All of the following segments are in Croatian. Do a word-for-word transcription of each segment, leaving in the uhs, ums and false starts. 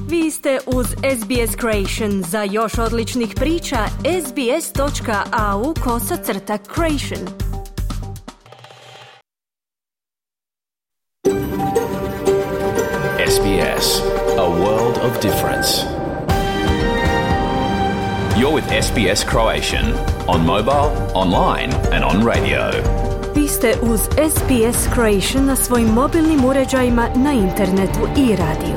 Vi ste uz S B S Creation. Za još odličnih priča, sbs.au kosacrta creation. S B S, a world of difference. You're with S B S Croatian, on mobile, online and on radio. Vi ste uz S B S Creation na svojim mobilnim uređajima, na internetu i radiju.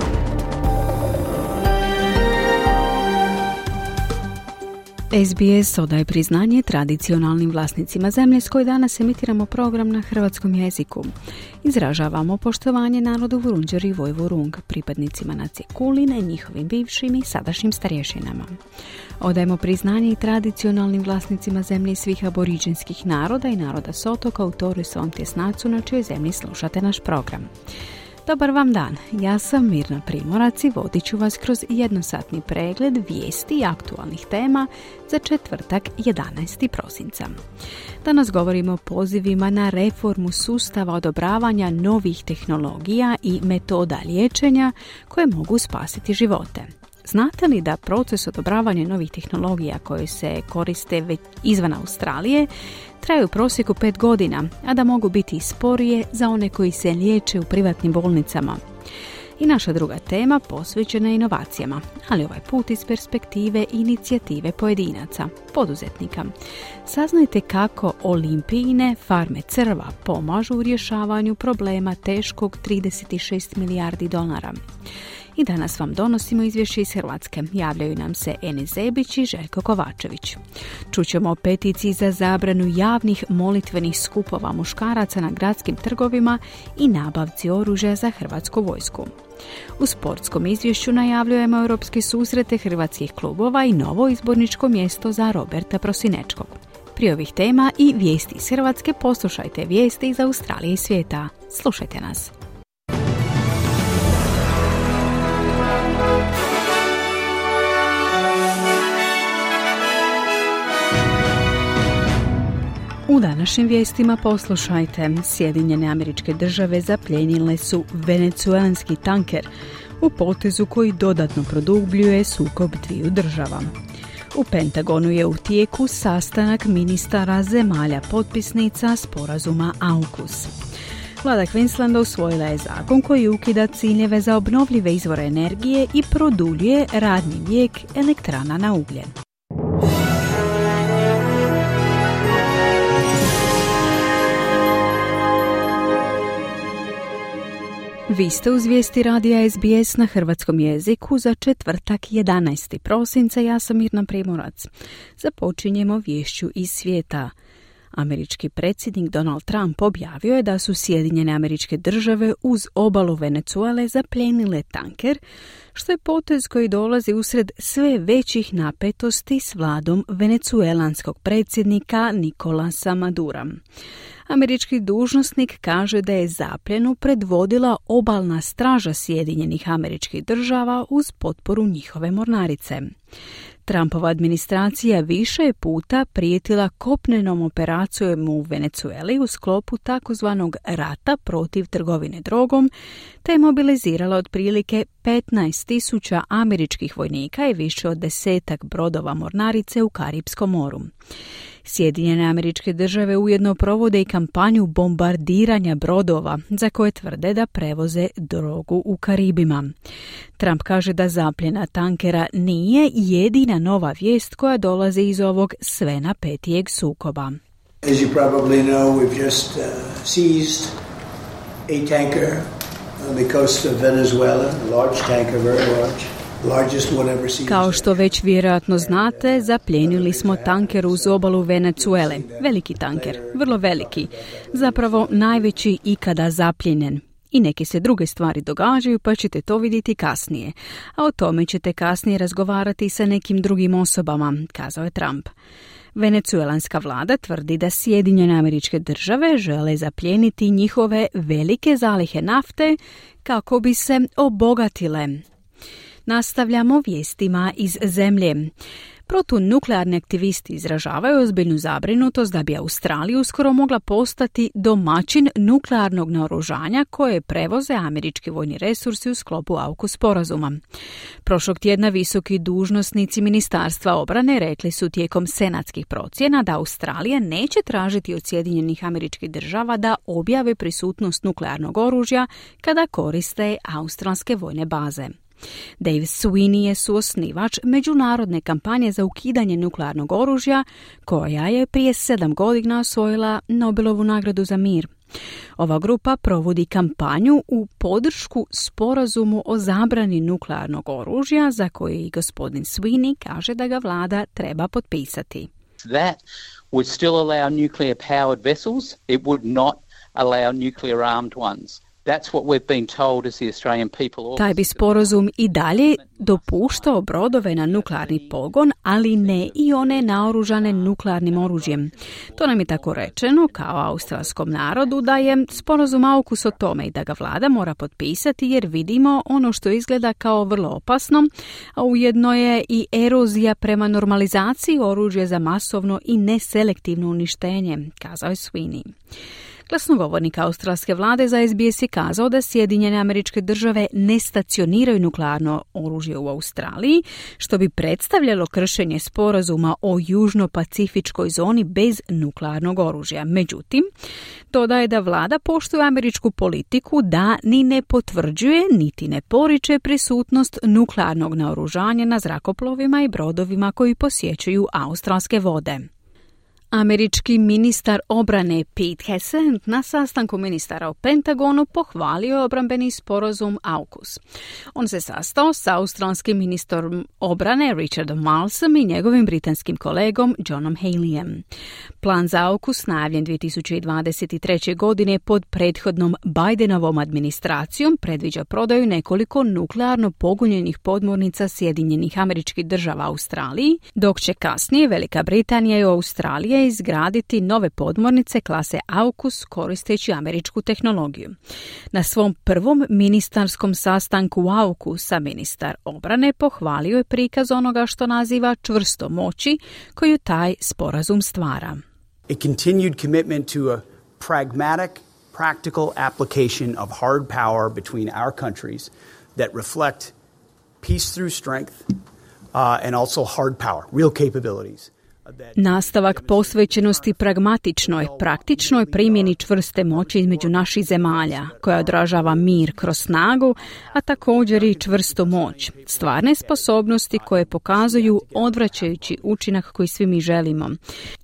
S B S odaje priznanje tradicionalnim vlasnicima zemlje s koje danas emitiramo program na hrvatskom jeziku. Izražavamo poštovanje narodu Vurundjeri i Vojvurung, pripadnicima nacije Kulin, njihovim bivšim i sadašnjim starješinama. Odajemo priznanje i tradicionalnim vlasnicima zemlje svih aboriđinskih naroda i naroda s otoka u Toru i svom tjesnacu na čijoj zemlji slušate naš program. Dobar vam dan, ja sam Mirna Primorac i vodit ću vas kroz jednosatni pregled vijesti i aktualnih tema za četvrtak jedanaestog prosinca. Danas govorimo o pozivima na reformu sustava odobravanja novih tehnologija i metoda liječenja koje mogu spasiti živote. Znate li da proces odobravanja novih tehnologija koje se koriste već izvan Australije traju u prosjeku pet godina, a da mogu biti i sporije za one koji se liječe u privatnim bolnicama? I naša druga tema posvećena je inovacijama, ali ovaj put iz perspektive inicijative pojedinaca, poduzetnika. Saznajte kako olimpijine farme crva pomažu u rješavanju problema teškog trideset šest milijardi dolara. I danas vam donosimo izvješće iz Hrvatske. Javljaju nam se Enis Zebić i Željko Kovačević. Čućemo o peticiji za zabranu javnih molitvenih skupova muškaraca na gradskim trgovima i nabavci oružja za hrvatsku vojsku. U sportskom izvješću najavljujemo europske susrete hrvatskih klubova i novo izborničko mjesto za Roberta Prosinečkog. Prije ovih tema i vijesti iz Hrvatske poslušajte vijesti iz Australije i svijeta. Slušajte nas. U današnjim vijestima poslušajte. Sjedinjene Američke Države zaplijenile su venecuelanski tanker u potezu koji dodatno produbljuje sukob dviju država. U Pentagonu je u tijeku sastanak ministara zemalja potpisnica sporazuma AUKUS. Vlada Queenslanda usvojila je zakon koji ukida ciljeve za obnovljive izvore energije i produljuje radni vijek elektrana na ugljen. Vi ste uz vijesti radija S B S na hrvatskom jeziku za četvrtak jedanaestog prosinca. Ja sam Mirna Primorac. Započinjemo viješću iz svijeta. Američki predsjednik Donald Trump objavio je da su Sjedinjene Američke Države uz obalu Venezuele zaplijenile tanker, što je potez koji dolazi usred sve većih napetosti s vladom venecuelanskog predsjednika Nicolasa Madura. Američki dužnosnik kaže da je zapljenu predvodila obalna straža Sjedinjenih Američkih Država uz potporu njihove mornarice. Trumpova administracija više je puta prijetila kopnenom operacijom u Venezueli u sklopu takozvanog rata protiv trgovine drogom, te je mobilizirala otprilike petnaest tisuća američkih vojnika i više od desetak brodova mornarice u Karipskom moru. Sjedinjene Američke Države ujedno provode i kampanju bombardiranja brodova za koje tvrde da prevoze drogu u Karibima. Trump kaže da zapljena tankera nije jedina nova vijest koja dolazi iz ovog sve napetijeg sukoba. As you probably know, we've just uh, seized a tanker on the coast of Venezuela, a large tanker, very large. Kao što već vjerojatno znate, zaplijenili smo tanker uz obalu Venezuele. Veliki tanker, vrlo veliki. Zapravo najveći ikada zapljenjen. I neke se druge stvari događaju, pa ćete to vidjeti kasnije. A o tome ćete kasnije razgovarati sa nekim drugim osobama, kazao je Trump. Venecuelanska vlada tvrdi da Sjedinjene Američke Države žele zaplijeniti njihove velike zalihe nafte kako bi se obogatile. Nastavljamo vijestima iz zemlje. Protunuklearni aktivisti izražavaju ozbiljnu zabrinutost da bi Australija uskoro mogla postati domaćin nuklearnog naoružanja koje prevoze američki vojni resursi u sklopu AUKUS sporazuma. Prošlog tjedna visoki dužnosnici Ministarstva obrane rekli su tijekom senatskih procjena da Australija neće tražiti od Sjedinjenih Američkih Država da objave prisutnost nuklearnog oružja kada koriste australske vojne baze. Dave Sweeney je suosnivač međunarodne kampanje za ukidanje nuklearnog oružja koja je prije sedam godina osvojila Nobelovu nagradu za mir. Ova grupa provodi kampanju u podršku sporazumu o zabrani nuklearnog oružja za koji i gospodin Sweeney kaže da ga vlada treba potpisati. That would still allow nuclear powered vessels. It would not allow nuclear armed ones. That's what we've been told as the Australian people. Taj bi sporazum i dalje dopuštao brodove na nuklearni pogon, ali ne i one naoružane nuklearnim oružjem. To nam je tako rečeno kao australskom narodu da je sporazum AUKUS o tome i da ga vlada mora potpisati jer vidimo ono što izgleda kao vrlo opasno, a ujedno je i erozija prema normalizaciji oružja za masovno i neselektivno uništenje, kazao je Sweeney. Glasnogovornik australske vlade za S B S je kazao da Sjedinjene Američke Države ne stacioniraju nuklearno oružje u Australiji, što bi predstavljalo kršenje sporazuma o južno-pacifičkoj zoni bez nuklearnog oružja. Međutim, dodaje da vlada poštuje američku politiku da ni ne potvrđuje niti ne poriče prisutnost nuklearnog naoružanja na zrakoplovima i brodovima koji posjećuju australske vode. Američki ministar obrane Pete Hegseth na sastanku ministara u Pentagonu pohvalio je obrambeni sporazum AUKUS. On se sastao sa australskim ministrom obrane Richardom Marlesom i njegovim britanskim kolegom Johnom Haleyem. Plan za AUKUS najavljen dvije tisuće dvadeset treće. godine pod prethodnom Bidenovom administracijom predviđa prodaju nekoliko nuklearno pogonjenih podmornica Sjedinjenih Američkih Država Australiji, dok će kasnije Velika Britanija i Australija izgraditi nove podmornice klase AUKUS koristeći američku tehnologiju. Na svom prvom ministarskom sastanku AUKUS-a ministar obrane pohvalio je prikaz onoga što naziva čvrstom moći koju taj sporazum stvara. A continued commitment to a pragmatic, practical application of hard power between our countries that reflect peace through strength uh, and also hard power, real capabilities. Nastavak posvećenosti pragmatičnoj, praktičnoj primjeni čvrste moći između naših zemalja, koja odražava mir kroz snagu, a također i čvrstu moć. Stvarne sposobnosti koje pokazuju odvraćajući učinak koji svi mi želimo.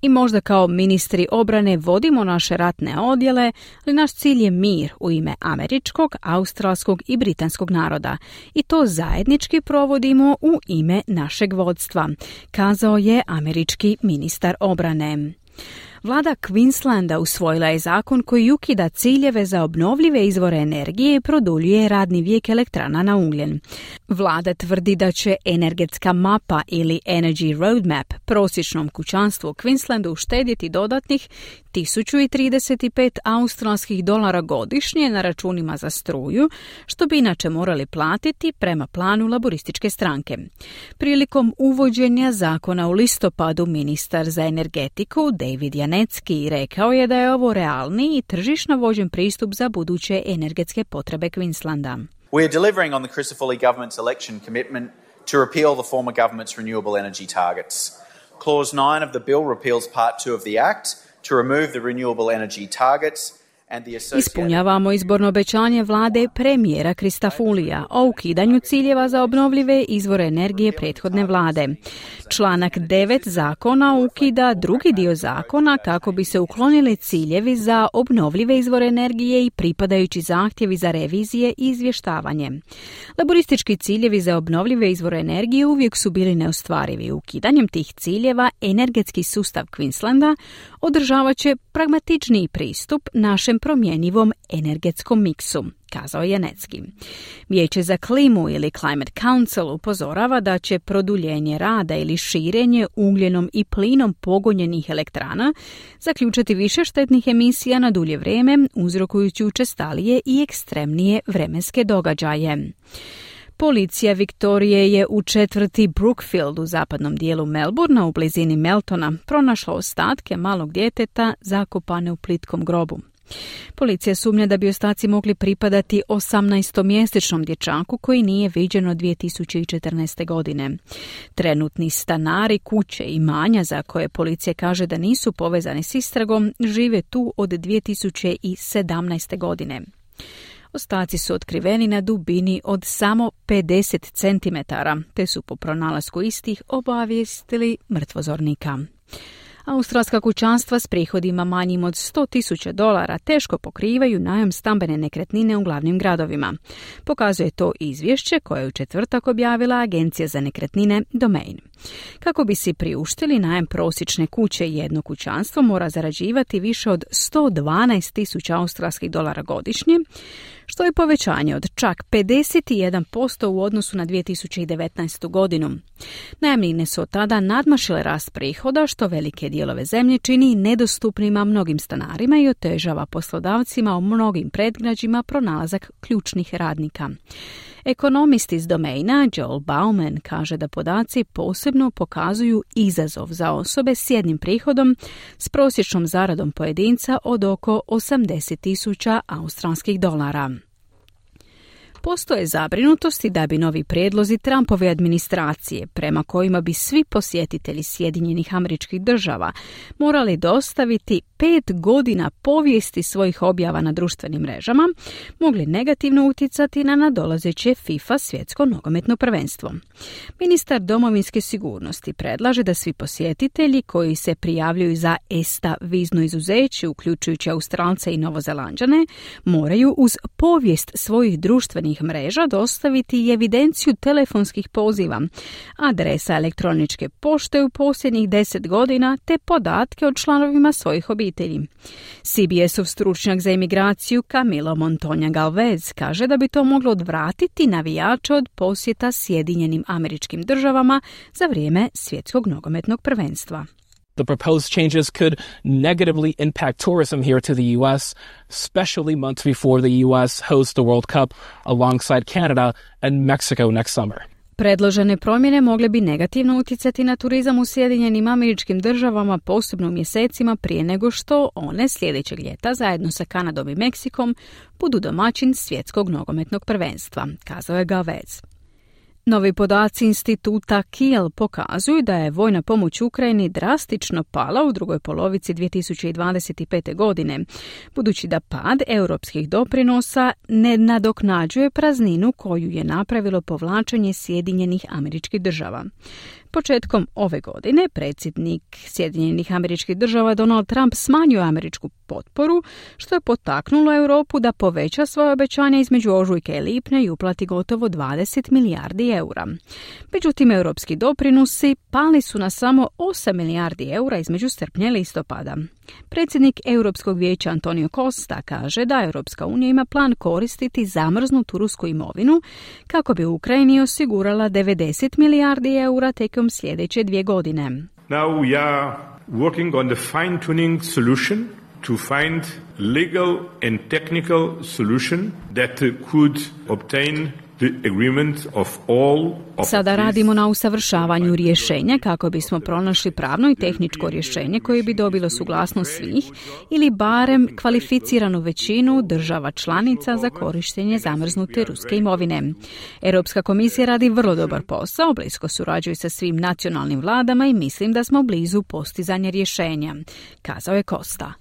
I možda kao ministri obrane vodimo naše ratne odjele, ali naš cilj je mir u ime američkog, australskog i britanskog naroda. I to zajednički provodimo u ime našeg vodstva, kazao je američki ministar obrane. Vlada Queenslanda usvojila je zakon koji ukida ciljeve za obnovljive izvore energije i produljuje radni vijek elektrana na ugljen. Vlada tvrdi da će energetska mapa ili Energy Roadmap prosječnom kućanstvu u Queenslandu uštedjeti dodatnih tisuću trideset pet australskih dolara godišnje na računima za struju, što bi inače morali platiti prema planu laborističke stranke. Prilikom uvođenja zakona u listopadu ministar za energetiku David Janetski rekao je da je ovo realni i tržišno vođen pristup za buduće energetske potrebe Queenslanda. We are delivering on the Crisafulli government's election commitment to repeal the former government's renewable energy targets. Clause nine of the bill repeals part two of the act to remove the renewable energy targets. Ispunjavamo izborno obećanje vlade premijera Christofulija o ukidanju ciljeva za obnovljive izvore energije prethodne vlade. Članak devet zakona ukida drugi dio zakona kako bi se uklonili ciljevi za obnovljive izvore energije i pripadajući zahtjevi za revizije i izvještavanje. Laboristički ciljevi za obnovljive izvore energije uvijek su bili neostvarivi. Ukidanjem tih ciljeva energetski sustav Queenslanda održavat će pragmatičniji pristup našem promjenjivom energetskom miksu, kazao je Janetski. Vijeće za klimu ili Climate Council upozorava da će produljenje rada ili širenje ugljenom i plinom pogonjenih elektrana zaključati više štetnih emisija na dulje vrijeme, uzrokujući učestalije i ekstremnije vremenske događaje. Policija Viktorije je u četvrti Brookfield u zapadnom dijelu Melbourna u blizini Meltona pronašla ostatke malog djeteta zakopane u plitkom grobu. Policija sumnja da bi ostaci mogli pripadati osamnaestomjesečnom dječaku koji nije viđen od dvije tisuće četrnaeste. godine. Trenutni stanari kuće i imanja za koje policija kaže da nisu povezani s istragom žive tu od dvije tisuće sedamnaeste. godine. Ostaci su otkriveni na dubini od samo pedeset centimetara, te su po pronalasku istih obavijestili mrtvozornika. Australska kućanstva s prihodima manjim od sto tisuća dolara teško pokrivaju najam stambene nekretnine u glavnim gradovima. Pokazuje to izvješće koje je u četvrtak objavila Agencija za nekretnine Domain. Kako bi si priuštili najam prosječne kuće, jedno kućanstvo mora zarađivati više od sto dvanaest tisuća australskih dolara godišnje, što je povećanje od čak pedeset jedan posto u odnosu na dvije tisuće devetnaestu. godinu. Najamnine su od tada nadmašile rast prihoda, što velike dijelove zemlje čini nedostupnima mnogim stanarima i otežava poslodavcima u mnogim predgrađima pronalazak ključnih radnika. Ekonomist iz Domaina Joel Bauman kaže da podaci posebno pokazuju izazov za osobe s jednim prihodom s prosječnom zaradom pojedinca od oko osamdeset tisuća australskih dolara. Postoje zabrinutosti da bi novi prijedlozi Trumpove administracije, prema kojima bi svi posjetitelji Sjedinjenih Američkih Država morali dostaviti pet godina povijesti svojih objava na društvenim mrežama, mogli negativno utjecati na nadolazeće FIFA svjetsko nogometno prvenstvo. Ministar domovinske sigurnosti predlaže da svi posjetitelji koji se prijavljuju za E S T A vizno izuzeće, uključujući Australce i Novozelanđane, moraju uz povijest svojih društvenih mreža dostaviti i evidenciju telefonskih poziva, adresa elektroničke pošte u posljednjih deset godina te podatke o članovima svojih obitelji. C B S-ov stručnjak za imigraciju Camilo Montoya Galvez kaže da bi to moglo odvratiti navijače od posjeta Sjedinjenim Američkim Državama za vrijeme svjetskog nogometnog prvenstva. The proposed changes could negatively impact tourism here to the U S, especially months before the U S hosts the World Cup alongside Canada and Mexico next summer. Predložene promjene mogle bi negativno utjecati na turizam u Sjedinjenim Američkim Državama, posebno u mjesecima prije nego što one sljedećeg ljeta zajedno sa Kanadom i Meksikom budu domaćin svjetskog nogometnog prvenstva, kazao je Galvez. Novi podaci instituta Kiel pokazuju da je vojna pomoć Ukrajini drastično pala u drugoj polovici dvije tisuće dvadeset pete. godine, budući da pad europskih doprinosa ne nadoknađuje prazninu koju je napravilo povlačenje Sjedinjenih Američkih Država. Početkom ove godine predsjednik Sjedinjenih Američkih Država Donald Trump smanjio američku potporu, što je potaknulo Europu da poveća svoje obećanja između ožujka i lipnja i uplati gotovo dvadeset milijardi eura. Međutim, europski doprinosi pali su na samo osam milijardi eura između srpnja i listopada. Predsjednik Europskog vijeća Antonio Costa kaže da Europska unija ima plan koristiti zamrznutu rusku imovinu kako bi Ukrajini osigurala devedeset milijardi eura tijekom sljedeće dvije godine. Now we are working on the fine-tuning solution to find legal and technical solution that could obtain the agreement of all of Sada radimo na usavršavanju rješenja kako bismo pronašli pravno i tehničko rješenje koje bi dobilo suglasnost svih ili barem kvalificiranu većinu država članica za korištenje zamrznute ruske imovine. Europska komisija radi vrlo dobar posao, blisko surađuje sa svim nacionalnim vladama i mislim da smo blizu postizanja rješenja, kazao je Costa.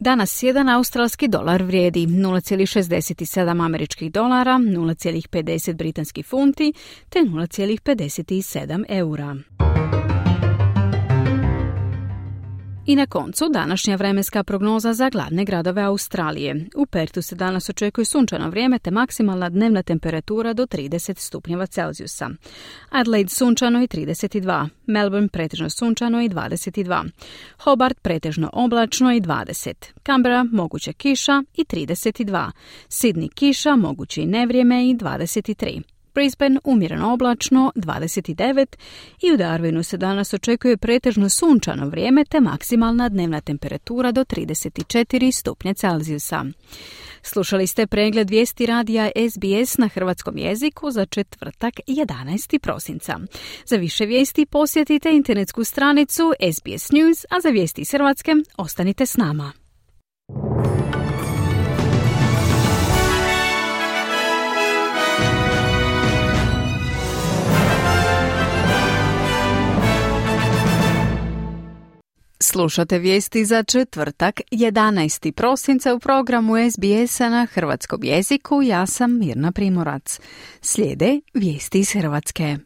Danas jedan australski dolar vrijedi nula zarez šezdeset sedam američkih dolara, nula zarez pedeset britanskih funti te nula zarez pedeset sedam eura. I na koncu današnja vremenska prognoza za glavne gradove Australije. U Pertu se danas očekuje sunčano vrijeme te maksimalna dnevna temperatura do trideset stupnjeva Celzijusa. Adelaide sunčano i trideset dva, Melbourne pretežno sunčano i dvadeset dva, Hobart pretežno oblačno i dvadeset, Canberra moguća kiša i trideset dva, Sydney kiša, moguće i nevrijeme i dvadeset tri, Brisbane umjereno oblačno dvadeset devet i u Darwinu se danas očekuje pretežno sunčano vrijeme te maksimalna dnevna temperatura do trideset četiri stupnja Celzijusa. Slušali ste pregled vijesti radija S B S na hrvatskom jeziku za četvrtak jedanaestog prosinca. Za više vijesti posjetite internetsku stranicu S B S News, a za vijesti iz Hrvatske ostanite s nama. Slušate vijesti za četvrtak jedanaestog prosinca u programu S B S-a na hrvatskom jeziku. Ja sam Mirna Primorac. Slijede vijesti iz Hrvatske.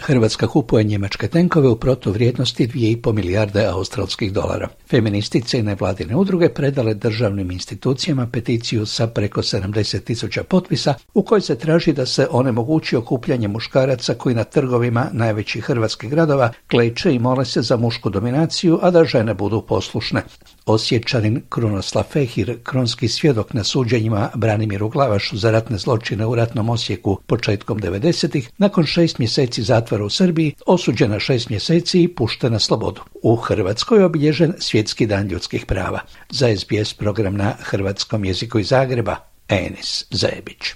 Hrvatska kupuje njemačke tenkove u protuvrijednosti dvije i pol milijarde australskih dolara. Feministice i nevladine udruge predale državnim institucijama peticiju sa preko sedamdeset tisuća potpisa u kojoj se traži da se onemogući okupljanje muškaraca koji na trgovima najvećih hrvatskih gradova kleče i mole se za mušku dominaciju, a da žene budu poslušne. Osječanin Krunoslav Fehir, kronski svjedok na suđenjima Branimiru Glavašu za ratne zločine u ratnom Osijeku početkom devedesetih, nakon šest mjeseci zatvora u Srbiji, osuđen na šest mjeseci i pušten na slobodu. U Hrvatskoj je obilježen Svjetski dan ljudskih prava. Za S B S program na hrvatskom jeziku iz Zagreba, Enis Zebić.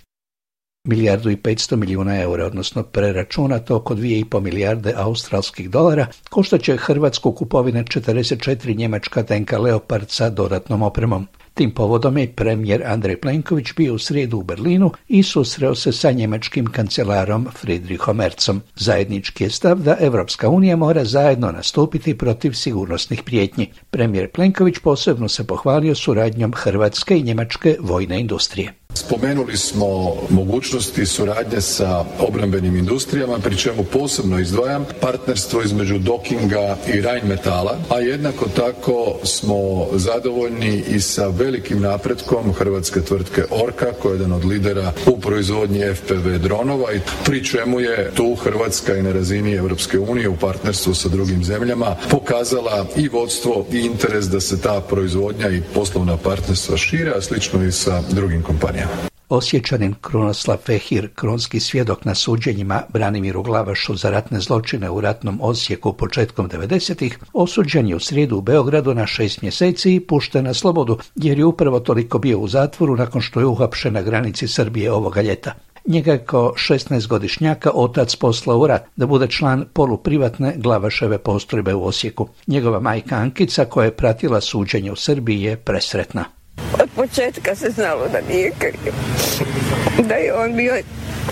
Milijardu i petsto milijuna eura, odnosno preračunato oko dvije i pol milijarde australskih dolara, koštat će Hrvatsku kupovine četrdeset četiri njemačka tenka Leopard sa dodatnom opremom. Tim povodom je premijer Andrej Plenković bio u srijedu u Berlinu i susreo se sa njemačkim kancelarom Friedrichom Merzom. Zajednički je stav da Evropska unija mora zajedno nastupiti protiv sigurnosnih prijetnji. Premijer Plenković posebno se pohvalio suradnjom hrvatske i njemačke vojne industrije. Spomenuli smo mogućnosti suradnje sa obrambenim industrijama, pri čemu posebno izdvajam partnerstvo između Dockinga i Rheinmetalla, a jednako tako smo zadovoljni i sa velikim napretkom hrvatske tvrtke Orka, koja je jedan od lidera u proizvodnji F P V dronova, i pri čemu je tu Hrvatska i na razini Europske unije u partnerstvu sa drugim zemljama pokazala i vodstvo i interes da se ta proizvodnja i poslovna partnerstva šire, a slično i sa drugim kompanijama. Osječanin Krunoslav Fehir, kronski svjedok na suđenjima Branimiru Glavašu za ratne zločine u ratnom Osijeku početkom devedesetih, osuđen je u srijedu u Beogradu na šest mjeseci i pušten na slobodu, jer je upravo toliko bio u zatvoru nakon što je uhapšen na granici Srbije ovoga ljeta. Njega je kao šesnaestogodišnjaka otac poslao u rat da bude član poluprivatne Glavaševe postrojbe u Osijeku. Njegova majka Ankica, koja je pratila suđenje u Srbiji, je presretna. Od početka se znalo da nije kriv, da je on bio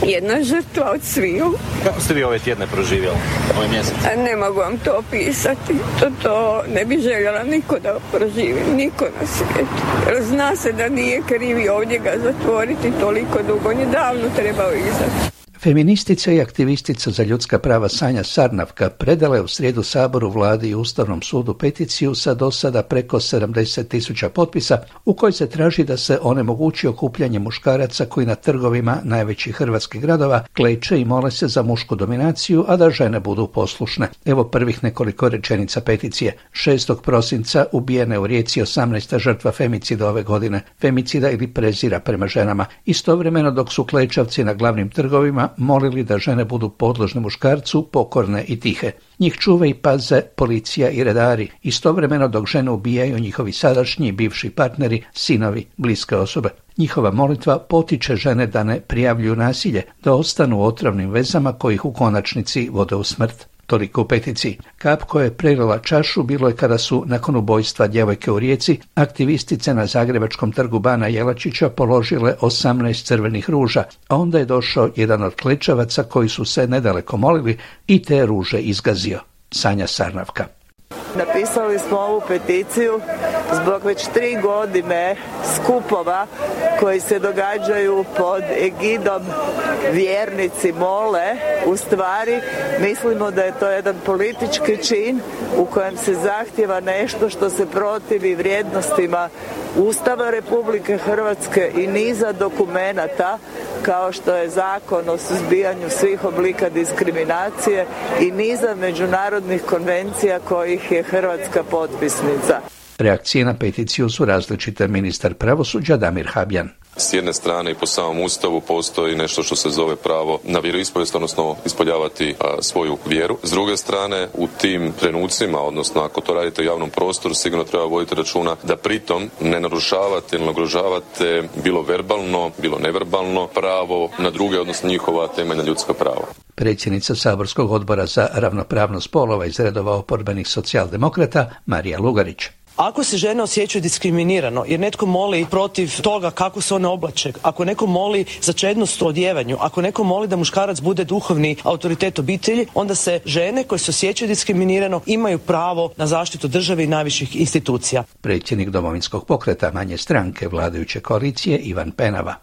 jedna žrtva od sviju. Kako ste vi ove tjedne proživjeli, ove mjesece? A ne mogu vam to opisati, to, to ne bi željela niko da proživi, niko na svijetu. Jer zna se da nije kriv i ovdje ga zatvoriti toliko dugo, on je davno trebao izaći. Feministica i aktivistica za ljudska prava Sanja Sarnavka predala je u srijedu Saboru, Vladi i Ustavnom sudu peticiju sa do sada preko sedamdeset tisuća potpisa u kojoj se traži da se onemogući okupljanje muškaraca koji na trgovima najvećih hrvatskih gradova kleče i mole se za mušku dominaciju, a da žene budu poslušne. Evo prvih nekoliko rečenica peticije. šestog prosinca ubijena je u Rijeci osamnaesta žrtva femicida ove godine, femicida ili prezira prema ženama. Istovremeno dok su klečavci na glavnim trgovima molili da žene budu podložne muškarcu, pokorne i tihe. Njih čuve i paze policija i redari, istovremeno dok žene ubijaju njihovi sadašnji i bivši partneri, sinovi, bliske osobe. Njihova molitva potiče žene da ne prijavljuju nasilje, da ostanu u otrovnim vezama koji ih u konačnici vode u smrt. Toliko u peticiji. Kap koja je prelila čašu bilo je kada su, nakon ubojstva djevojke u Rijeci, aktivistice na zagrebačkom trgu Bana Jelačića položile osamnaest crvenih ruža, a onda je došao jedan od klečavaca koji su se nedaleko molili i te ruže izgazio. Sanja Sarnavka. Napisali smo ovu peticiju zbog već tri godine skupova koji se događaju pod egidom vjernici mole. U stvari mislimo da je to jedan politički čin u kojem se zahtjeva nešto što se protivi vrijednostima Ustava Republike Hrvatske i niza dokumenata kao što je Zakon o suzbijanju svih oblika diskriminacije i niza međunarodnih konvencija kojih je Hrvatska potpisnica. Reakcije na peticiju su različite. Ministar pravosuđa Damir Habjan. S jedne strane i po samom Ustavu postoji nešto što se zove pravo na vjeroispovijest, odnosno ispoljavati a, svoju vjeru. S druge strane, u tim trenucima, odnosno ako to radite u javnom prostoru, sigurno treba voditi računa da pritom ne narušavate ili nagrožavate bilo verbalno, bilo neverbalno pravo na druge, odnosno njihova temeljna ljudska prava. Predsjednica Saborskog odbora za ravnopravnost spolova iz redova oporbenih socijaldemokrata Marija Lugarić. Ako se žene osjećaju diskriminirano jer netko moli protiv toga kako se one oblače, ako neko moli za čednost u odjevanju, ako neko moli da muškarac bude duhovni autoritet obitelji, onda se žene koje se osjećaju diskriminirano imaju pravo na zaštitu države i najviših institucija. Predsjednik Domovinskog pokreta manje stranke vladajuće koalicije Ivan Penava.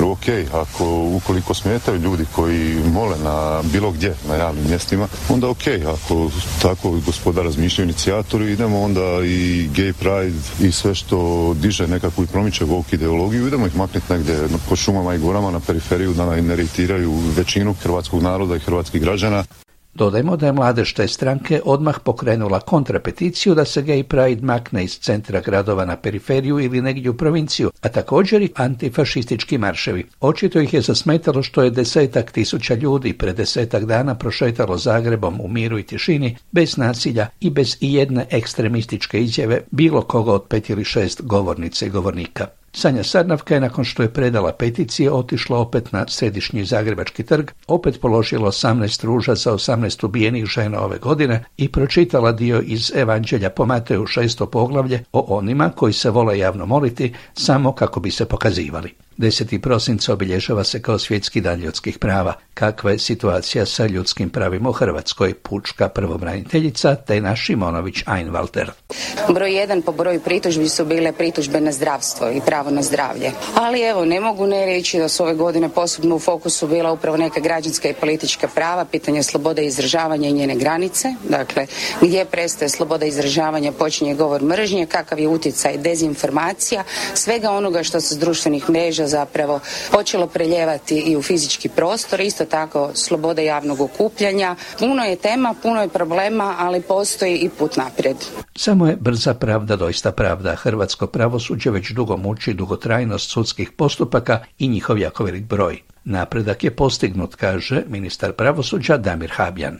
Ok, ako ukoliko smetaju ljudi koji mole na bilo gdje, na javnim mjestima, onda ok, ako tako gospoda razmišljaju inicijatori, idemo onda i gay pride i sve što diže nekakvu i promiče woke ideologiju, idemo ih maknuti negdje po šumama i gorama na periferiju da ne iritiraju većinu hrvatskog naroda i hrvatskih građana. Dodajmo da je mladež te stranke odmah pokrenula kontrapeticiju da se Gay Pride makne iz centra gradova na periferiju ili negdje u provinciju, a također i antifašistički marševi. Očito ih je zasmetalo što je desetak tisuća ljudi pred desetak dana prošetalo Zagrebom u miru i tišini, bez nasilja i bez ijedne ekstremističke izjave bilo koga od pet ili šest govornice i govornika. Sanja Sarnavka je nakon što je predala peticije otišla opet na središnji Zagrebački trg, opet položila osamnaest ruža za osamnaest ubijenih žena ove godine i pročitala dio iz Evanđelja po Mateju šesto poglavlje o onima koji se vole javno moliti samo kako bi se pokazivali. deseti prosinca obilježava se kao svjetski dan ljudskih prava. Kakva je situacija sa ljudskim pravima u Hrvatskoj? Pučka pravobraniteljica Tena Šimonović Einwalter. Broj jedan po broju pritužbi su bile pritužbe na zdravstvo i pravo na zdravlje. Ali evo, ne mogu ne reći da su ove godine posebno u fokusu bila upravo neka građanska i politička prava, pitanje slobode izražavanja i njene granice. Dakle, gdje prestaje sloboda izražavanja, počinje govor mržnje, kakav je utjecaj dezinformacija, svega onoga što se s društvenih mreža zapravo počelo preljevati i u fizički prostor, isto tako sloboda javnog okupljanja. Puno je tema, puno je problema, ali postoji i put naprijed. Samo je brza pravda doista pravda. Hrvatsko pravosuđe već dugo muči dugotrajnost sudskih postupaka i njihov jako velik broj. Napredak je postignut, kaže ministar pravosuđa Damir Habjan.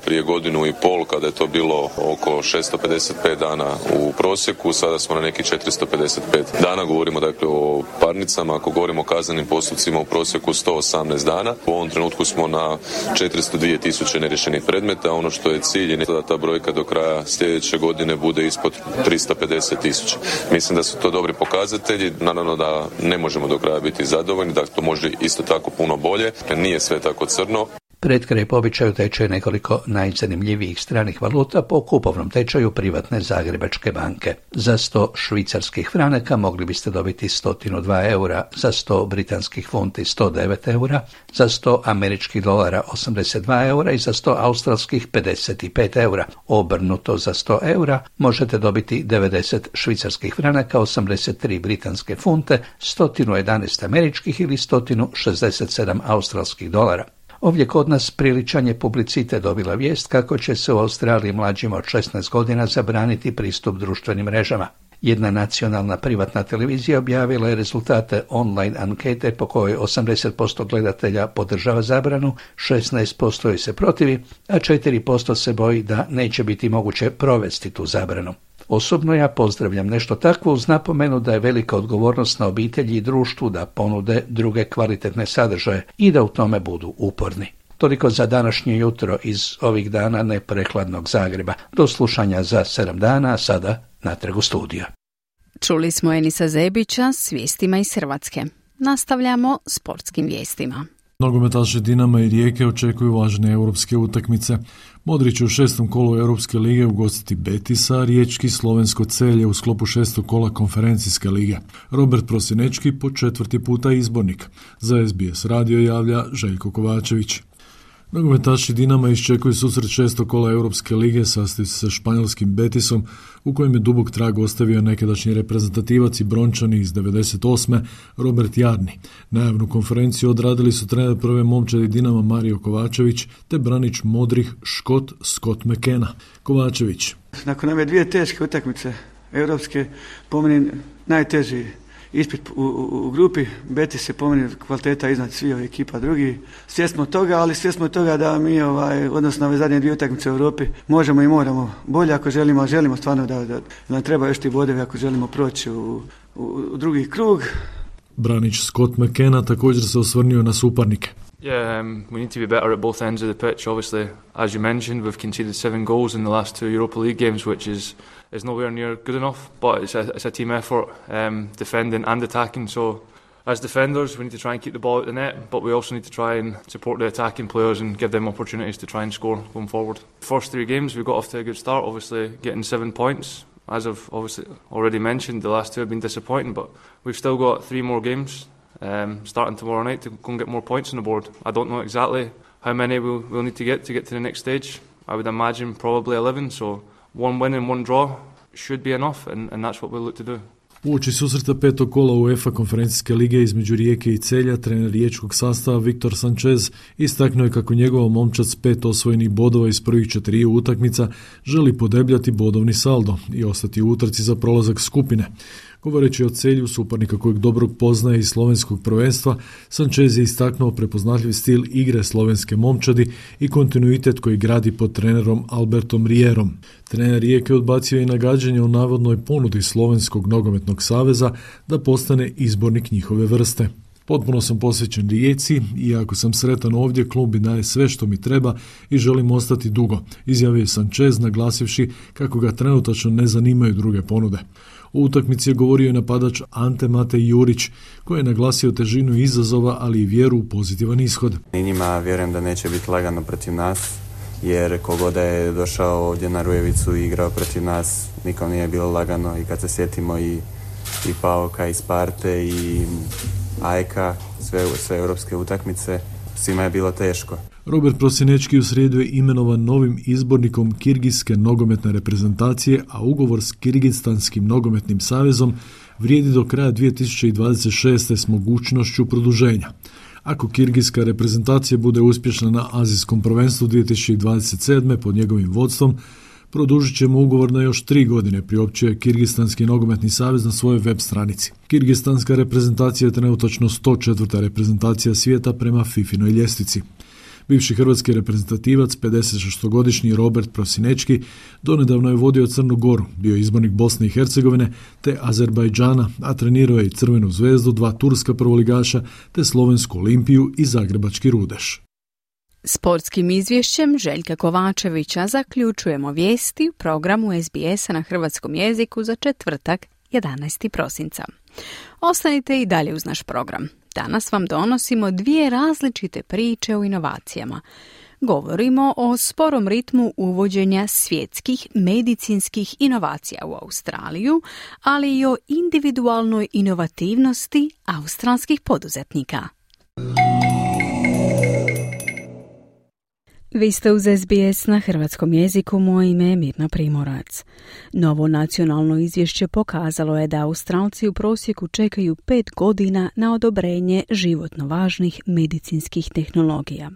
Prije godinu i pol, kada je to bilo oko šesto pedeset pet dana u prosjeku, sada smo na neki četiristo pedeset pet dana. Govorimo dakle o parnicama, ako govorimo o kaznenim postupcima u prosjeku sto osamnaest dana. U ovom trenutku smo na četiristo dva tisuće neriješenih predmeta. Ono što je cilj je da ta brojka do kraja sljedeće godine bude ispod tristo pedeset tisuća. Mislim da su to dobri pokazatelji. Naravno da ne možemo do kraja biti zadovoljni, da to može isto tako puno bolje. Nije sve tako crno. Pred kraj po običaju tečaju nekoliko najzanimljivijih stranih valuta po kupovnom tečaju privatne Zagrebačke banke. Za sto švicarskih franaka mogli biste dobiti sto dva eura, za sto britanskih funti sto devet eura, za sto američkih dolara osamdeset dva eura i za sto australskih pedeset pet eura. Obrnuto za sto eura možete dobiti devedeset švicarskih franaka, osamdeset tri britanske funte, sto jedanaest američkih ili sto šezdeset sedam australskih dolara. Ovdje kod nas priličan je publicitet dobila vijest kako će se u Australiji mlađima od šesnaest godina zabraniti pristup društvenim mrežama. Jedna nacionalna privatna televizija objavila je rezultate online ankete po kojoj osamdeset posto gledatelja podržava zabranu, šesnaest posto joj se protivi, a četiri posto se boji da neće biti moguće provesti tu zabranu. Osobno ja pozdravljam nešto takvo uz napomenu da je velika odgovornost na obitelji i društvu da ponude druge kvalitetne sadržaje i da u tome budu uporni. Toliko za današnje jutro iz ovih dana neprekladnog Zagreba. Do slušanja za sedam dana, a sada natrag u studiju. Čuli smo Enisa Zebića s vijestima iz Hrvatske. Nastavljamo sportskim vijestima. Nogometaši Dinama i Rijeke očekuju važne europske utakmice. Modrić će u šestom kolu Europske lige ugostiti Betisa, riječki Slovensko Celje u sklopu šestog kola konferencijske lige. Robert Prosinečki po četvrti puta izbornik. Za S B S radio javlja Željko Kovačević. Nogometaši Dinama iščekuju susret šestog kola Europske lige sastoji se sa španjolskim Betisom u kojem je dubok trag ostavio nekadašnji reprezentativac i brončani iz devedeset osme Robert Jarni. Najavnu konferenciju odradili su trener prve momčadi Dinama Mario Kovačević te branič modrih Škot Scott McKenna. Kovačević. Nakon ove dvije teške utakmice europske, po meni najteži ispit u, u, u grupi. Betis se po meni kvaliteta iznad svih ovih ekipa drugi. Svjesno toga, ali svjesno toga da mi, ovaj, odnosno ove zadnje dvije utakmice u Europi, možemo i moramo bolje ako želimo, a želimo stvarno da, da nam treba još ti bodevi ako želimo proći u, u, u drugi krug. Branić Scott McKenna također se osvrnio na suparnike. Yeah, um, we need to be better at both ends of the pitch. Obviously, as you mentioned, we've conceded seven goals in the last two Europa League games, which is is nowhere near good enough. But it's a, it's a team effort, um, defending and attacking. So, as defenders, we need to try and keep the ball out the net, but we also need to try and support the attacking players and give them opportunities to try and score going forward. First three games, we got off to a good start. Obviously, getting seven points. As I've obviously already mentioned, the last two have been disappointing, but we've still got three more games. Um, starting tomorrow night to go and get more points on the board. I don't know exactly how many we'll, we'll need to get to get to the next stage. I would imagine probably eleven, so one win and one draw should be enough, and, and that's what we'll look to do. Uoči susreta petog kola UEFA konferencijske lige između Rijeke i Celja, trener riječkog sastava Viktor Sanchez istaknuo je kako njegova momčad s pet osvojenih bodova iz prvih četiriju utakmica želi podebljati bodovni saldo i ostati u utrci za prolazak skupine. Govoreći o Celju, suparnika kojeg dobro poznaje iz slovenskog prvenstva, Sanchez je istaknuo prepoznatljiv stil igre slovenske momčadi i kontinuitet koji gradi pod trenerom Albertom Rierom. Trener Rijeke odbacio i nagađanje o navodnoj ponudi Slovenskog nogometnog saveza da postane izbornik njihove vrste. Potpuno sam posvećen Rijeci i ako sam sretan ovdje, klub mi daje sve što mi treba i želim ostati dugo, izjavio je Sanchez naglasivši kako ga trenutačno ne zanimaju druge ponude. U utakmici je govorio i napadač Ante Matej Jurić, koji je naglasio težinu izazova, ali i vjeru u pozitivan ishod. I njima vjerujem da neće biti lagano protiv nas, jer kogoda je došao ovdje na Rujevicu i igrao protiv nas, nikom nije bilo lagano. I kad se sjetimo i, i Pauka, i Sparte, i Ajka, sve, sve europske utakmice, svima je bilo teško. Robert Prosinečki u srijedu je imenovan novim izbornikom Kirgijske nogometne reprezentacije, a ugovor s Kirgistanskim nogometnim savezom vrijedi do kraja dvije tisuće dvadeset šeste s mogućnošću produženja. Ako Kirgijska reprezentacija bude uspješna na azijskom prvenstvu dvije tisuće dvadeset sedme pod njegovim vodstvom, produžit ćemo ugovor na još tri godine, priopćuje Kirgistanski nogometni savez na svojoj web stranici. Kirgistanska reprezentacija je trenutačno sto četvrta reprezentacija svijeta prema fifinoj ljestvici. Bivši hrvatski reprezentativac, pedesetšestogodišnji Robert Prosinečki, donedavno je vodio Crnu Goru, bio je izbornik Bosne i Hercegovine te Azerbajdžana, a trenirao je i Crvenu zvezdu, dva turska prvoligaša te Slovensku Olimpiju i Zagrebački Rudeš. Sportskim izvješćem Željka Kovačevića zaključujemo vijesti u programu S B S-a na hrvatskom jeziku za četvrtak jedanaestog prosinca. Ostanite i dalje uz naš program. Danas vam donosimo dvije različite priče o inovacijama. Govorimo o sporom ritmu uvođenja svjetskih medicinskih inovacija u Australiju, ali i o individualnoj inovativnosti australskih poduzetnika. Vi ste uz S B S na hrvatskom jeziku, moje ime je Mirna Primorac. Novo nacionalno izvješće pokazalo je da Australci u prosjeku čekaju pet godina na odobrenje životno važnih medicinskih tehnologija.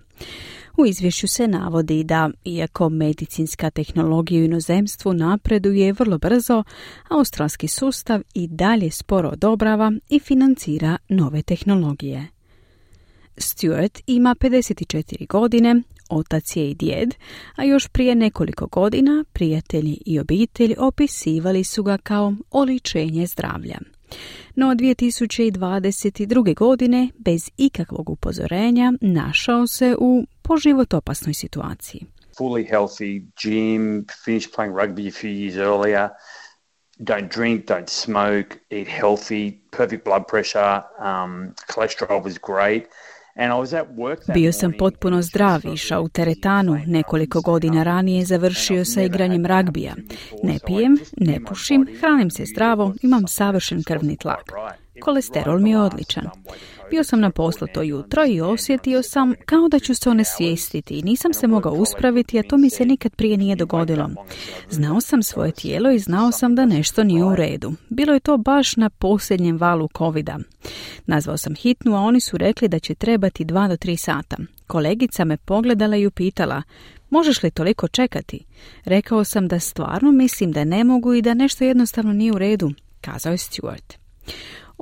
U izvješću se navodi da, iako medicinska tehnologija u inozemstvu napreduje vrlo brzo, australski sustav i dalje sporo odobrava i financira nove tehnologije. Stuart ima pedeset četiri godine, otac je i djed, a još prije nekoliko godina prijatelji i obitelj opisivali su ga kao oličenje zdravlja. No dvije tisuće dvadeset druge. godine, bez ikakvog upozorenja, našao se u poživot opasnoj situaciji. Fully healthy, gym, finished playing rugby a few years earlier, don't drink, don't smoke, eat healthy, perfect blood pressure, um, cholesterol was great. Bio sam potpuno zdrav, išao u teretanu, nekoliko godina ranije završio sa igranjem ragbija. Ne pijem, ne pušim, hranim se zdravo, imam savršen krvni tlak. Kolesterol mi je odličan. Bio sam na poslu to jutro i osjetio sam kao da ću se onesvijestiti i nisam se mogao uspraviti, a to mi se nikad prije nije dogodilo. Znao sam svoje tijelo i znao sam da nešto nije u redu. Bilo je to baš na posljednjem valu covida. Nazvao sam hitnu, a oni su rekli da će trebati dva do tri sata. Kolegica me pogledala i upitala, možeš li toliko čekati? Rekao sam da stvarno mislim da ne mogu i da nešto jednostavno nije u redu, kazao je Stuart.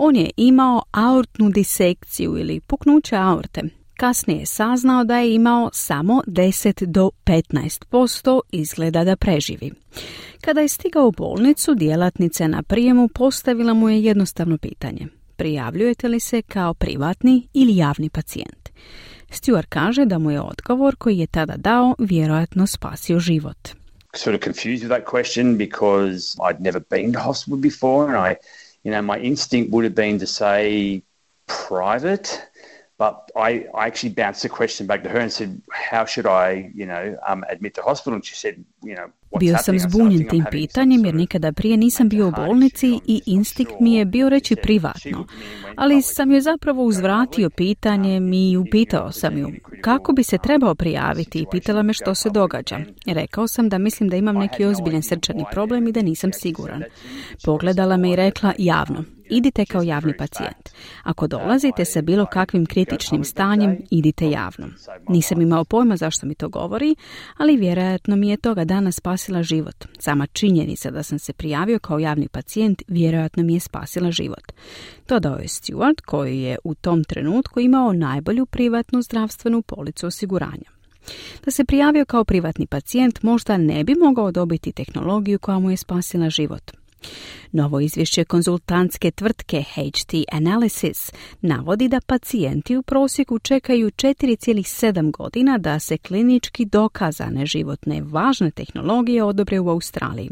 On je imao aortnu disekciju ili puknuće aorte. Kasnije je saznao da je imao samo deset do petnaest posto izgleda da preživi. Kada je stigao u bolnicu, djelatnica na prijemu postavila mu je jednostavno pitanje. Prijavljujete li se kao privatni ili javni pacijent? Stewart kaže da mu je odgovor koji je tada dao vjerojatno spasio život. Sort of confused with that question because I'd never been to hospital before, and I, you know, my instinct would have been to say private, but I, I actually bounced the question back to her and said, how should I, you know, um, admit to hospital? And she said, you know, Bio sam zbunjen tim pitanjem jer nikada prije nisam bio u bolnici i instinkt mi je bio reći privatno. Ali sam joj zapravo uzvratio pitanjem i upitao sam ju kako bi se trebao prijaviti i pitala me što se događa. Rekao sam da mislim da imam neki ozbiljan srčani problem i da nisam siguran. Pogledala me i rekla javno. Idite kao javni pacijent. Ako dolazite sa bilo kakvim kritičnim stanjem, idite javno. Nisam imao pojma zašto mi to govori, ali vjerojatno mi je toga dana spasila život. Sama činjenica da sam se prijavio kao javni pacijent vjerojatno mi je spasila život. Dodao je Stewart, koji je u tom trenutku imao najbolju privatnu zdravstvenu policu osiguranja. Da se prijavio kao privatni pacijent možda ne bi mogao dobiti tehnologiju koja mu je spasila život. Novo izvješće konzultantske tvrtke H T Analysis navodi da pacijenti u prosjeku čekaju četiri zarez sedam godina da se klinički dokazane životne važne tehnologije odobre u Australiji.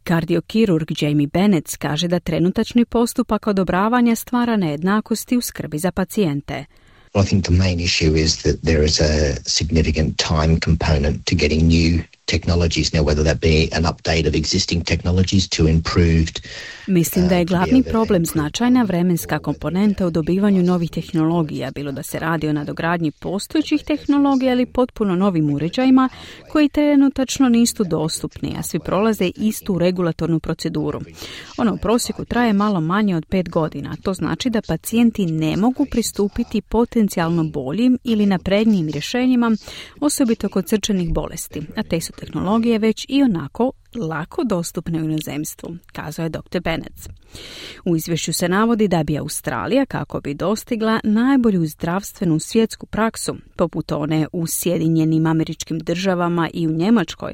Kardiokirurg Jamie Bennett kaže da trenutačni postupak odobravanja stvara nejednakosti u skrbi za pacijente. I think the main issue is that there is a significant time component to getting new technologies, now whether that be an update of existing technologies to improved. Mislim da je glavni problem značajna vremenska komponenta u dobivanju novih tehnologija, bilo da se radi o nadogradnji postojećih tehnologija ili potpuno novim uređajima koji trenutačno nisu dostupni, a svi prolaze istu regulatornu proceduru. Ono u prosjeku traje malo manje od pet godina. To znači da pacijenti ne mogu pristupiti potencijalno boljim ili naprednijim rješenjima, osobito kod srčanih bolesti, a te su tehnologije već i onako lako dostupne u inozemstvu, kazao je doktor Bennett. U izvješću se navodi da bi Australija, kako bi dostigla najbolju zdravstvenu svjetsku praksu, poput one u Sjedinjenim Američkim Državama i u Njemačkoj,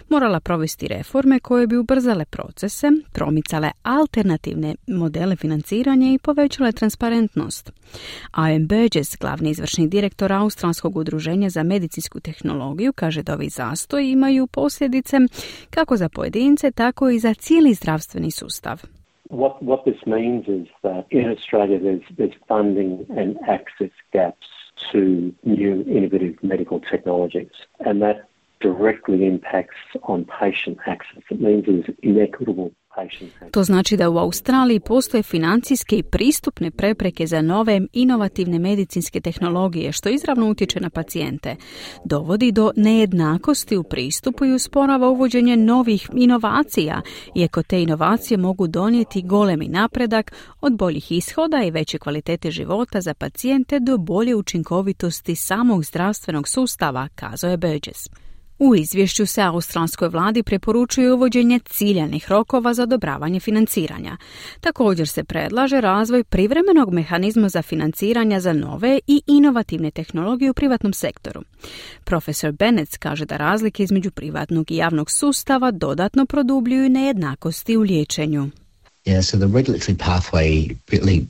morala provesti reforme koje bi ubrzale procese, promicale alternativne modele financiranja i povećale transparentnost. Ian Burgess, glavni izvršni direktor Australskog udruženja za medicinsku tehnologiju, kaže da ovi zastoji imaju posljedice kako za pojedince, tako i za cijeli zdravstveni sustav. What, what this means is that in Australia there's, there's funding and access gaps to new innovative medical technologies, and that directly impacts on patient access. It means there's inequitable. To znači da u Australiji postoje financijske i pristupne prepreke za nove inovativne medicinske tehnologije, što izravno utječe na pacijente. Dovodi do nejednakosti u pristupu i usporava uvođenje novih inovacija, iako te inovacije mogu donijeti golemi napredak od boljih ishoda i veće kvalitete života za pacijente do bolje učinkovitosti samog zdravstvenog sustava, kazao je Burgess. U izvješću se australskoj vladi preporučuje uvođenje ciljanih rokova za odobravanje financiranja. Također se predlaže razvoj privremenog mehanizma za financiranja za nove i inovativne tehnologije u privatnom sektoru. Profesor Bennett kaže da razlike između privatnog i javnog sustava dodatno produbljuju nejednakosti u liječenju. Yeah, so the regulatory pathway really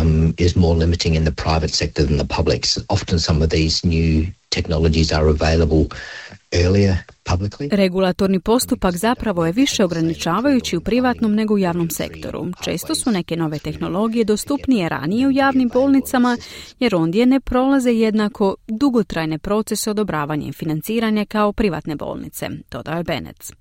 um, is more limiting in the private sector than the public. Often some of these new technologies are available earlier publicly. Regulatorni postupak zapravo je više ograničavajući u privatnom nego u javnom sektoru. Često su neke nove tehnologije dostupnije ranije u javnim bolnicama, jer ondje ne prolaze jednako dugotrajne procese odobravanja i financiranja kao privatne bolnice, dodao je Bennett.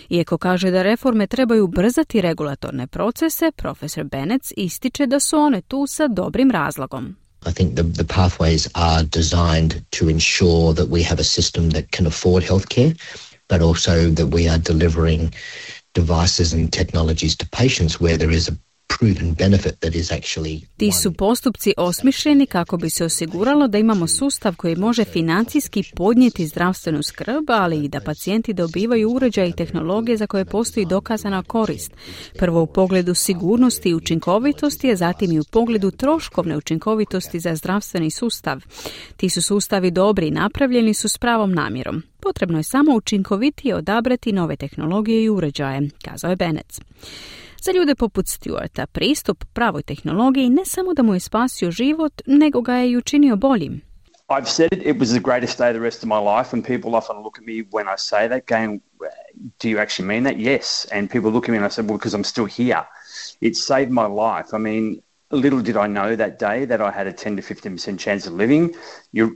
Iako kaže da reforme trebaju ubrzati regulatorne procese, profesor Bennett ističe da su one tu sa dobrim razlogom. I think the, the pathways are designed to ensure that we have a system that can afford healthcare, but also that we are delivering devices and technologies to patients where there is a proven benefit that is actually. Ti su postupci osmišljeni kako bi se osiguralo da imamo sustav koji može financijski podnijeti zdravstvenu skrb, ali i da pacijenti dobivaju uređaje i tehnologije za koje postoji dokazana korist. Prvo u pogledu sigurnosti i učinkovitosti, a zatim i u pogledu troškovne učinkovitosti za zdravstveni sustav. Ti su sustavi dobri i napravljeni su s pravom namjerom. Potrebno je samo učinkovitije odabrati nove tehnologije i uređaje, kazao je Bennett. Za ljude poput Stewarta pristup pravoj tehnologiji ne samo da mu je spasio život, nego ga je i učinio boljim. I've said it, it was the greatest day of the rest of my life, and people often look at me when I say that going, do you actually mean that? Yes. And people look at me and I say, well, because I'm still here. It saved my life. I mean, little did I know that day that I had a ten to fifteen percent chance of living. Your,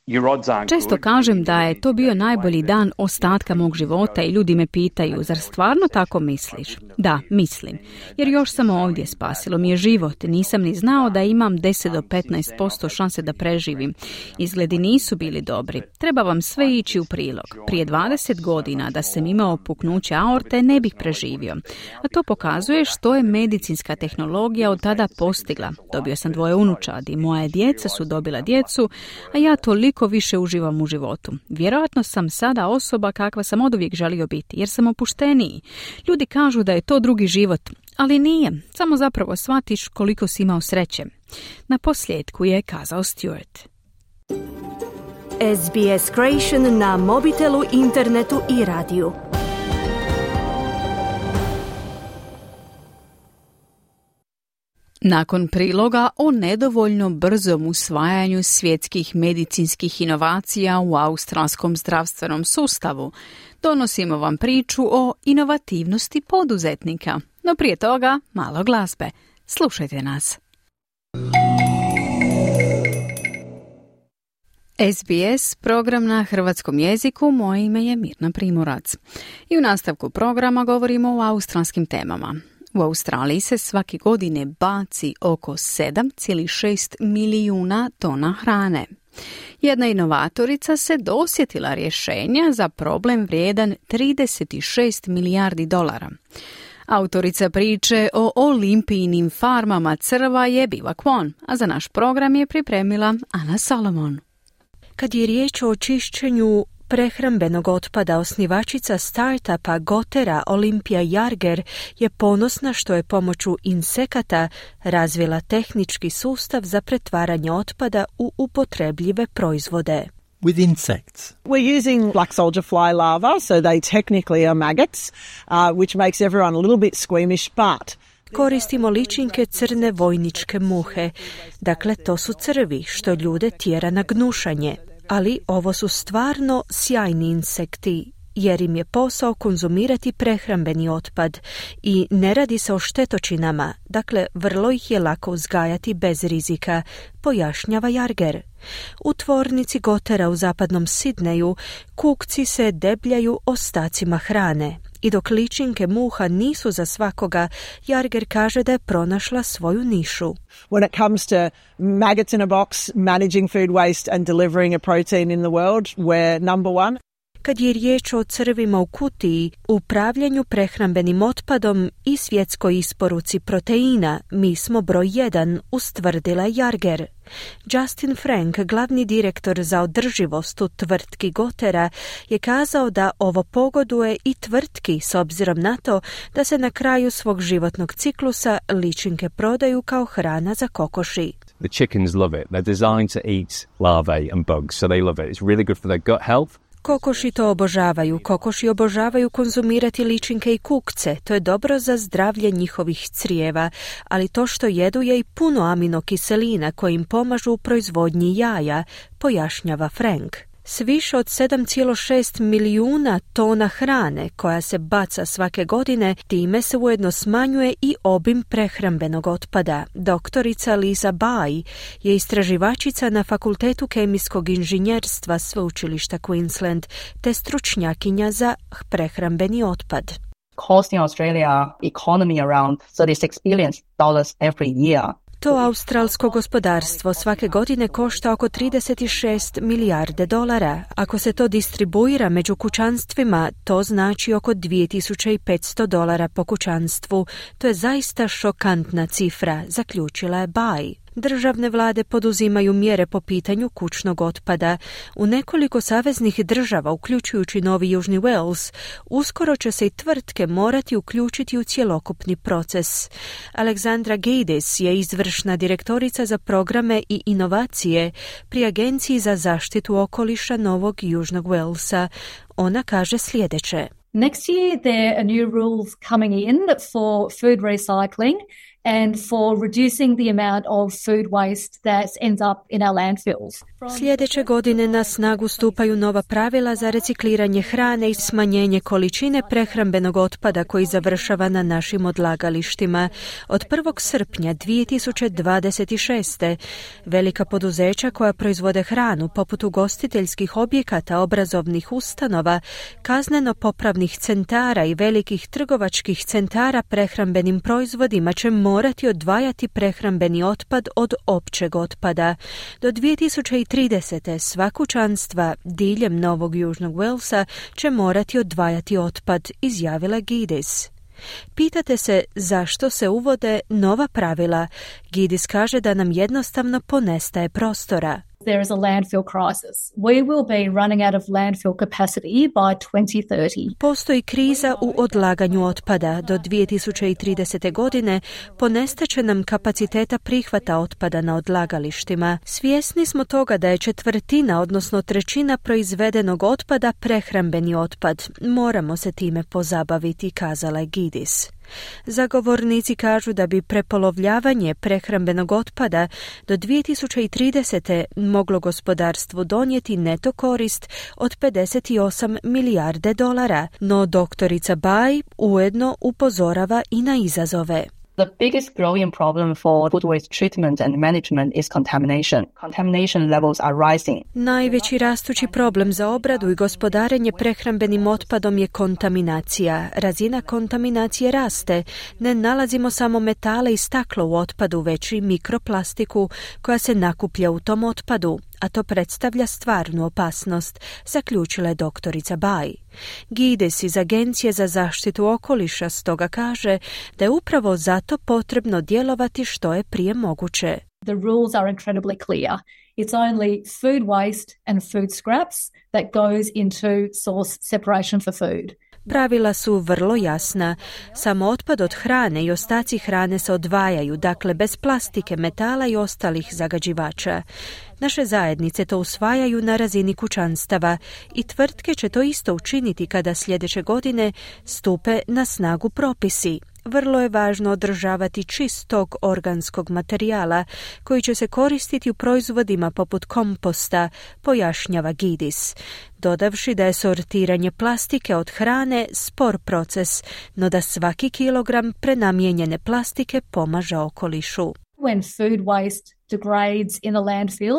your odds aren't Često good. kažem da je to bio najbolji dan ostatka mog života i ljudi me pitaju, zar stvarno tako misliš? Da, mislim. Jer još samo ovdje, spasilo mi je život. Nisam ni znao da imam deset do petnaest posto šanse da preživim. Izgledi nisu bili dobri. Treba vam sve ići u prilog. Prije dvadeset godina da sam imao puknuće aorte ne bih preživio. A to pokazuje što je medicinska tehnologija od tada postigla. Dobio sam dvoje unučadi, moja djeca su dobila djecu, a ja toliko više uživam u životu. Vjerojatno sam sada osoba kakva sam oduvijek želio biti, jer sam opušteniji. Ljudi kažu da je to drugi život, ali nije. Samo zapravo shvatiš koliko si imao sreće. Na posljedku je kazao Stewart. S B S Creation na mobitelu, internetu i radiju. Nakon priloga o nedovoljno brzom usvajanju svjetskih medicinskih inovacija u australskom zdravstvenom sustavu, donosimo vam priču o inovativnosti poduzetnika. No prije toga, malo glazbe. Slušajte nas. S B S, program na hrvatskom jeziku, moje ime je Mirna Primorac. I u nastavku programa govorimo o australskim temama. U Australiji se svake godine baci oko sedam zarez šest milijuna tona hrane. Jedna inovatorica se dosjetila rješenja za problem vrijedan trideset šest milijardi dolara. Autorica priče o olimpijinim farmama crva je Biva Kwon, a za naš program je pripremila Ana Solomon. Kad je riječ o čišćenju prehrambenog otpada, osnivačica startupa Gotera Olimpija Jarger je ponosna što je pomoću insekata razvila tehnički sustav za pretvaranje otpada u upotrebljive proizvode. With insects. We're using black soldier fly larvae, so they technically are maggots, uh, which makes everyone a little bit squeamish, but koristimo ličinke crne vojničke muhe. Dakle, to su crvi, što ljude tjera na gnušanje. Ali ovo su stvarno sjajni insekti, jer im je posao konzumirati prehrambeni otpad i ne radi se o štetočinama, dakle vrlo ih je lako uzgajati bez rizika, pojašnjava Jarger. U tvornici Gotera u zapadnom Sidneju kukci se debljaju ostacima hrane. I dok ličinke muha nisu za svakoga, Jarger kaže da je pronašla svoju nišu. When it comes to maggots in a box, managing food waste and delivering a protein in the world, we're number one. Kad je riječ o crvima u kutiji, upravljanju prehrambenim otpadom i svjetskoj isporuci proteina, mi smo broj jedan, ustvrdila Jarger. Justin Frank, glavni direktor za održivost u tvrtki Gotera, je kazao da ovo pogoduje i tvrtki s obzirom na to da se na kraju svog životnog ciklusa ličinke prodaju kao hrana za kokoši. The chickens love it. They're designed to eat larvae and bugs, so they love it. It's really good for their gut health. Kokoši to obožavaju. Kokoši obožavaju konzumirati ličinke i kukce. To je dobro za zdravlje njihovih crijeva, ali to što jedu je i puno aminokiselina koji im pomažu u proizvodnji jaja, pojašnjava Frank. S više od sedam zarez šest milijuna tona hrane koja se baca svake godine, time se ujedno smanjuje i obim prehrambenog otpada. Doktorica Lisa Bai je istraživačica na Fakultetu kemijskog inženjerstva Sveučilišta Queensland te stručnjakinja za prehrambeni otpad. Costing Australia economy around thirty-six billion dollars every year. To australsko gospodarstvo svake godine košta oko trideset šest milijarde dolara. Ako se to distribuira među kućanstvima, to znači oko dvije tisuće petsto dolara po kućanstvu. To je zaista šokantna cifra, zaključila je Bai. Državne vlade poduzimaju mjere po pitanju kućnog otpada. U nekoliko saveznih država, uključujući Novi Južni Wales, uskoro će se i tvrtke morati uključiti u cjelokupni proces. Alexandra Gaydis je izvršna direktorica za programe i inovacije pri Agenciji za zaštitu okoliša Novog Južnog Walesa. Ona kaže sljedeće. Next year there are new rules coming in for food recycling and for reducing the amount of food waste that ends up in our landfills. Sljedeće godine na snagu stupaju nova pravila za recikliranje hrane i smanjenje količine prehrambenog otpada koji završava na našim odlagalištima. Od prvog srpnja dvije tisuće dvadeset šeste velika poduzeća koja proizvode hranu poput ugostiteljskih objekata, obrazovnih ustanova, kazneno-popravnih centara i velikih trgovačkih centara prehrambenim proizvodima će morati odvajati prehrambeni otpad od općeg otpada. Do dvije tisuće tridesete sva kućanstva diljem Novog Južnog Walesa će morati odvajati otpad, izjavila Gaydis. Pitate se zašto se uvode nova pravila. Gaydis kaže da nam jednostavno ponestaje prostora. There is a landfill crisis. We will be running out of landfill capacity by twenty thirty. Postoji kriza u odlaganju otpada. Do dvije tisuće tridesete godine ponestaće nam kapaciteta prihvata otpada na odlagalištima. Svjesni smo toga da je četvrtina, odnosno trećina proizvedenog otpada prehrambeni otpad. Moramo se time pozabaviti, kazala je Gaydis. Zagovornici kažu da bi prepolovljavanje prehrambenog otpada do dvije tisuće tridesete moglo gospodarstvu donijeti neto korist od pedeset osam milijarde dolara, no doktorica Bai ujedno upozorava i na izazove. The biggest growing problem for food waste treatment and management is contamination. Contamination levels are rising. Najveći rastući problem za obradu i gospodarenje prehrambenim otpadom je kontaminacija. Razina kontaminacije raste. Ne nalazimo samo metale i staklo u otpadu, već i mikroplastiku koja se nakuplja u tom otpadu, a to predstavlja stvarnu opasnost, zaključila je doktorica Bai. Gaydis iz Agencije za zaštitu okoliša stoga kaže da je upravo zato potrebno djelovati što je prije moguće. The rules are incredibly clear. It's only food waste and food scraps that goes into source separation for food. Pravila su vrlo jasna. Samo otpad od hrane i ostaci hrane se odvajaju, dakle bez plastike, metala i ostalih zagađivača. Naše zajednice to usvajaju na razini kućanstava i tvrtke će to isto učiniti kada sljedeće godine stupe na snagu propisi. Vrlo je važno održavati čistog organskog materijala koji će se koristiti u proizvodima poput komposta, pojašnjava Gaydis, dodavši da je sortiranje plastike od hrane spor proces, no da svaki kilogram prenamijenjene plastike pomaže okolišu. When food waste degrades in a landfill,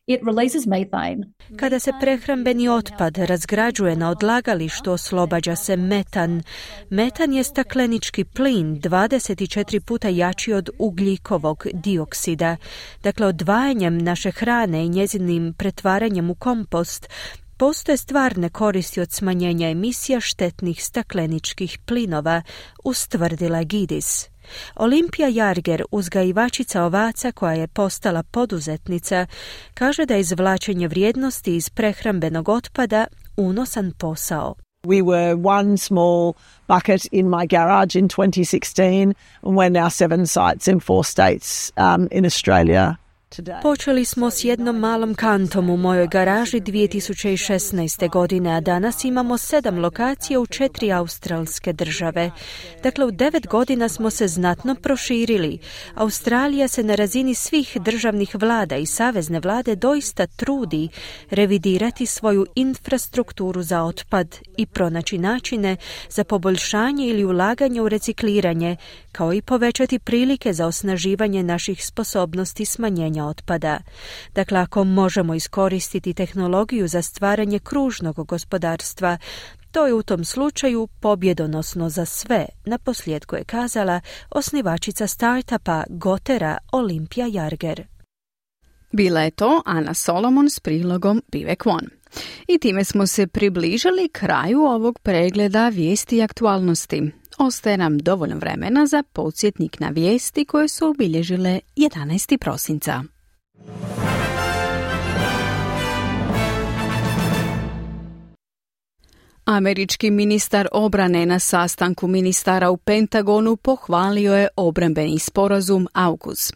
it releases methane. Kada se prehrambeni otpad razgrađuje na odlagalištu, oslobađa se metan. Metan je staklenički plin dvadeset četiri puta jači od ugljikovog dioksida. Dakle, odvajanjem naše hrane i njezinim pretvaranjem u kompost postoje stvarne koristi od smanjenja emisija štetnih stakleničkih plinova, ustvrdila Gaydis. Olimpija Jarger, uzgajivačica ovaca koja je postala poduzetnica, kaže da je izvlačenje vrijednosti iz prehrambenog otpada unosan posao. We were one small bucket in my garage in twenty sixteen and we're now seven sites in four states um, in Australia. Počeli smo s jednom malom kantom u mojoj garaži dvije tisuće šesnaeste. godine, a danas imamo sedam lokacija u četiri australske države. Dakle, u devet godina smo se znatno proširili. Australija se na razini svih državnih vlada i savezne vlade doista trudi revidirati svoju infrastrukturu za otpad i pronaći načine za poboljšanje ili ulaganje u recikliranje, kao i povećati prilike za osnaživanje naših sposobnosti smanjenja otpada. Dakle, ako možemo iskoristiti tehnologiju za stvaranje kružnog gospodarstva, To je u tom slučaju pobjedonosno za sve, naposljetku je kazala osnivačica startupa Gotera Olimpija Jarger. Bila je to Ana Solomon s prilogom Vivek One. I time smo se približili kraju ovog pregleda vijesti i aktualnosti. Ostaje nam dovoljno vremena za podsjetnik na vijesti koje su obilježile jedanaestog prosinca. Američki ministar obrane na sastanku ministara u Pentagonu pohvalio je obrambeni sporazum AUKUS.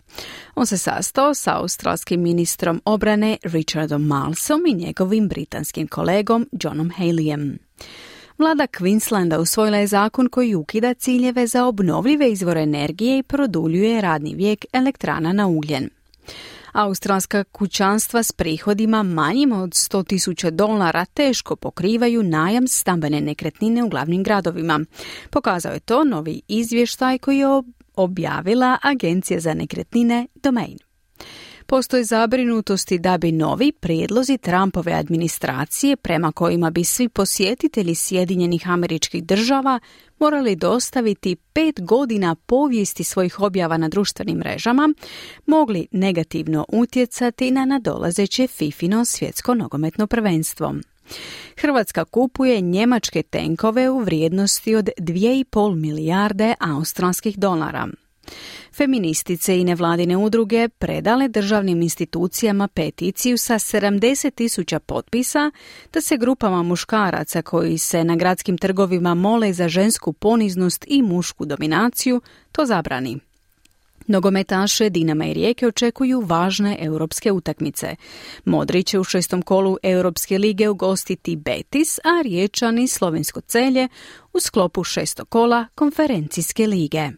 On se sastao sa australskim ministrom obrane Richardom Marlesom i njegovim britanskim kolegom Johnom Haleyem. Vlada Queenslanda usvojila je zakon koji ukida ciljeve za obnovljive izvore energije i produljuje radni vijek elektrana na ugljen. Australska kućanstva s prihodima manjim od sto tisuća dolara teško pokrivaju najam stambene nekretnine u glavnim gradovima. Pokazao je to novi izvještaj koji je objavila Agencija za nekretnine Domain. Postoje zabrinutosti da bi novi prijedlozi Trumpove administracije, prema kojima bi svi posjetitelji Sjedinjenih Američkih Država morali dostaviti pet godina povijesti svojih objava na društvenim mrežama, mogli negativno utjecati na nadolazeće fifino svjetsko nogometno prvenstvo. Hrvatska kupuje njemačke tenkove u vrijednosti od dvije i pol milijarde australskih dolara. Feministice i nevladine udruge predale državnim institucijama peticiju sa sedamdeset tisuća potpisa da se grupama muškaraca koji se na gradskim trgovima mole za žensku poniznost i mušku dominaciju to zabrani. Nogometaše Dinama i Rijeke očekuju važne europske utakmice. Modri će u šestom kolu Europske lige ugostiti Betis, a Riječani Slovensko Celje u sklopu šestog kola Konferencijske lige.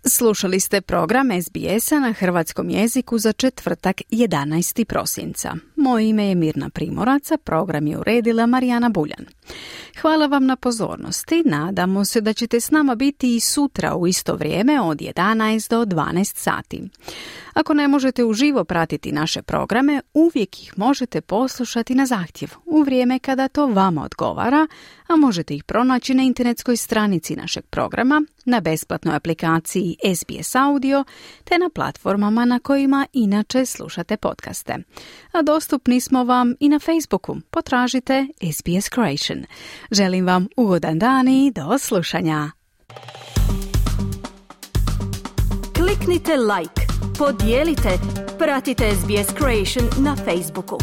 Slušali ste program S B S-a na hrvatskom jeziku za četvrtak jedanaestog prosinca. Moje ime je Mirna Primorac, a program je uredila Marijana Buljan. Hvala vam na pozornosti. Nadamo se da ćete s nama biti i sutra u isto vrijeme od jedanaest do dvanaest sati. Ako ne možete uživo pratiti naše programe, uvijek ih možete poslušati na zahtjev u vrijeme kada to vama odgovara, a možete ih pronaći na internetskoj stranici našeg programa, na besplatnoj aplikaciji S B S Audio te na platformama na kojima inače slušate podcaste. A dostupni smo vam i na Facebooku. Potražite S B S Croatian. Želim vam ugodan dan i do slušanja. Kliknite like, podijelite, pratite S B S Croatian na Facebooku.